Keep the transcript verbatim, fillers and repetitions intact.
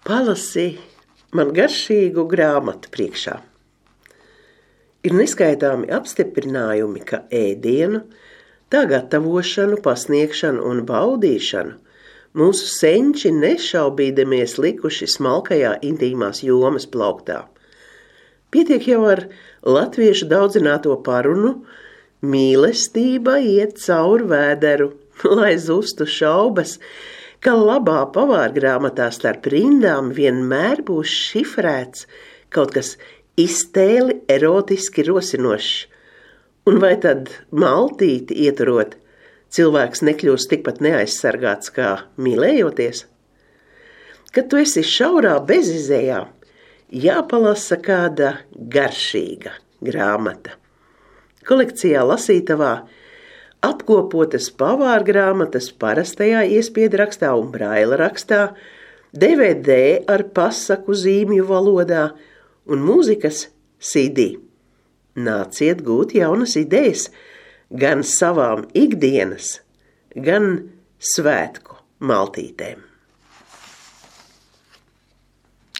Palasi man garšīgu grāmatu priekšā. Ir neskaitāmi apstiprinājumi, ka ēdienu, tā gatavošanu, pasniegšanu un baudīšanu mūsu senči nešaubīdamies likuši smalkajā intīmās jomas plauktā. Pietiek jau ar latviešu daudzināto parunu, mīlestība iet cauri vēderu, lai zustu šaubas, ka labā pavārgrāmatā starp rindām vienmēr būs šifrēts kaut kas iztēli erotiski rosinošs. Un vai tad maltīti ieturot, cilvēks nekļūst tikpat neaizsargāts kā mīlējoties? Kad tu esi šaurā bezizējā, jāpalasa kāda garšīga grāmata. Kolekcijā lasītavā apkopotas pavārgrāmatas parastajā iespiedu-rakstā un braila rakstā, D V D ar pasaku zīmju valodā un mūzikas C D. Nāciet gūt jaunas idejas gan savām ikdienas, gan svētku maltītēm.